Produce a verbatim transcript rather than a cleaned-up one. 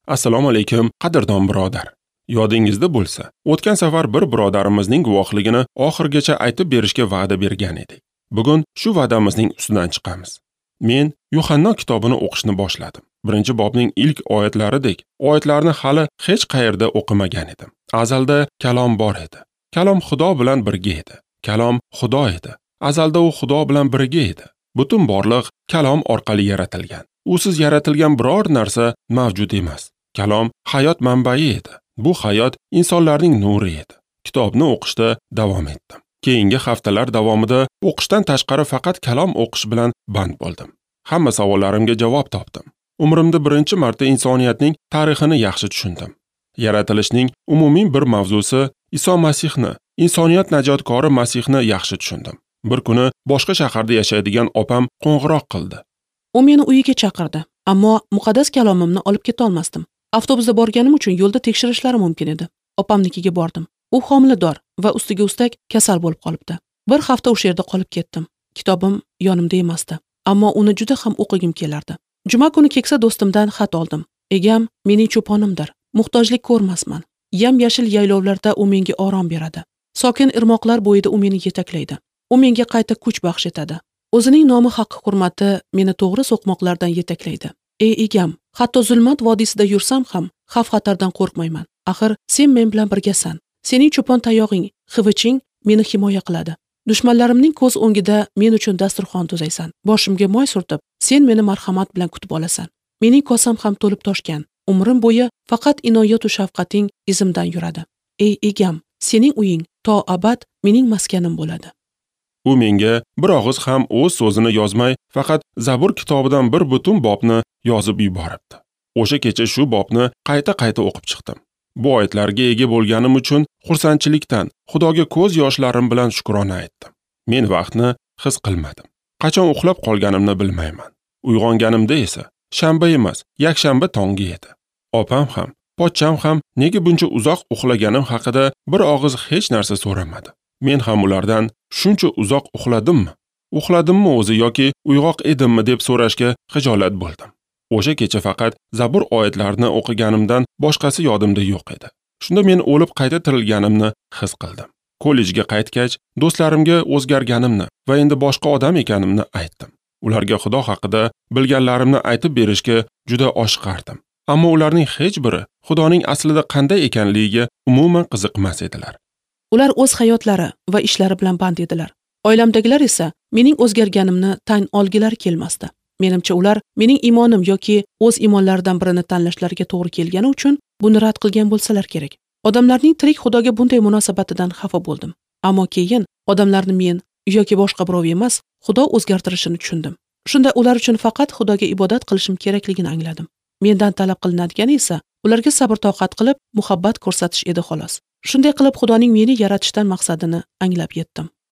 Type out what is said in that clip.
Assalomu alaykum, qadrdon birodar. Yodingizda bo'lsa, o'tgan safar bir birodarimizning guvohligini oxirigacha aytib berishga va'da bergan edik. Bugun shu va'damizning ustidan chiqamiz. Men Yuhanno kitobini o'qishni boshladim. Birinchi bobning ilk oyatlaridek oyatlarni hali hech qayerda o'qimagan edim. Azalda kalom bor edi. Kalom Xudo bilan birga edi. Kalom Xudo edi. Azalda u Xudo bilan birga edi. Butun borliq kalom orqali yaratilgan. Usiz yaratilgan biror narsa mavjud emas. Kalom hayot manbai edi. Bu hayot insonlarning nuri edi. Kitobni o'qishda davom etdim. Keyingi haftalar davomida o'qishdan tashqari faqat kalom o'qish bilan band bo'ldim. Hamma savollarimga javob topdim. Umrimda birinchi marta insoniyatning tarixini yaxshi tushundim. Yaratilishning umumiy bir mavzusi Iso Masihni, insoniyat najotkori Masihni yaxshi tushundim. Bir kuni boshqa shaharda yashaydigan opam qo'ng'iroq qildi. U meni uyiga chaqirdi, ammo muqaddas kalomimni olib keta olmasdim. Avtobusda borganim uchun yo'lda tekshirishlari mumkin edi. Opamnikiga bordim. U homilador va ustiga ustak kasal bo'lib qolibdi. Bir hafta o'sha yerda qolib ketdim. Kitobim yonimda emasdi, ammo uni juda ham o'qigim kelardi. Juma kuni keksa do'stimdan xat oldim. Egam mening cho'ponimdir. Muhtojlik ko'rmasman. Yam-yashil yaylovlarda u menga orom beradi. Sokin irmoqlar bo'yida u meni yetaklaydi. U menga qayta kuch baxsh etadi. O'zining nomi haqqi hurmati meni to'g'ri so'qmoqlardan yetaklaydi. Ey egam, hatto zulmat vodiysida yursam ham xavf-xatardan qo'rqmayman. Axir sen men bilan birgasan. Sening cho'pon tayog'ing, xiviching meni himoya qiladi. Dushmanlarimning ko'z o'ngida men uchun dasturxon tuzaysan. Boshimga moy surtib, sen meni marhamat bilan kutib olasan. Mening kosam ham to'lib toshgan. Umrim bo'yi faqat inoyat va shafqating izimdan yuradi. Ey egam, sening uying to abad mening maskanim bo'ladi. U menga bir og'iz ham o'z so'zini yozmay, faqat Zabur kitobidan bir butun bobni yozib yuboribdi. O'sha kecha shu bobni qayta-qayta o'qib chiqdim. Bu oyatlarga ega bo'lganim uchun xursandchilikdan Xudoga ko'z yoshlarim bilan shukrona aytdim. Men vaqtni his qilmadim. Qachon uxlab qolganimni bilmayman. Uyg'onganimda esa shanba emas, yakshanba tongi edi. Opam ham, pochcham ham nega buncha uzoq uxlaganim haqida bir og'iz hech narsa so'ramadi. Men ham ulardan shuncha uzoq uxladimmi? Uxladimmi o'zi yoki uyg'oq edimmi deb so'rashga xijolat bo'ldim. O'sha kecha faqat Zabur oyatlarini o'qiganimdan boshqasi yodimda yo'q edi. Shunda men o'lib qayta tirilganimni his qildim. Kollejga qaytgach, do'stlarimga o'zgarganimni va endi boshqa odam ekanimni aytdim. Ularga Xudo haqida bilganlarimni aytib berishga juda oshiqardim. Ammo ularning hech biri Xudoning aslida qanday ekanligiga umuman qiziqmas edilar. Ular o'z hayotlari va ishlari bilan band edilar. Oilamdagilar esa mening o'zgarganimni tan olgilari kelmasdi. Menimcha ular mening imonim yoki o'z imonlaridan birini tanlashlariga to'g'ri kelgani uchun buni rad qilgan bo'lsalar kerak. Odamlarning tirik Xudoga bunday munosabatidan xafa bo'ldim. Ammo keyin odamlarni men yoki boshqa birov emas, Xudo o'zgartirishini tushundim. Shunda ular uchun faqat Xudoga ibodat qilishim kerakligini angladim. Mendan talab qilinadigani esa ularga sabr-toqat qilib muhabbat ko'rsatish edi xolos. Shunday qilib Xudoning meni yaratishdan maqsadini anglab yetdim.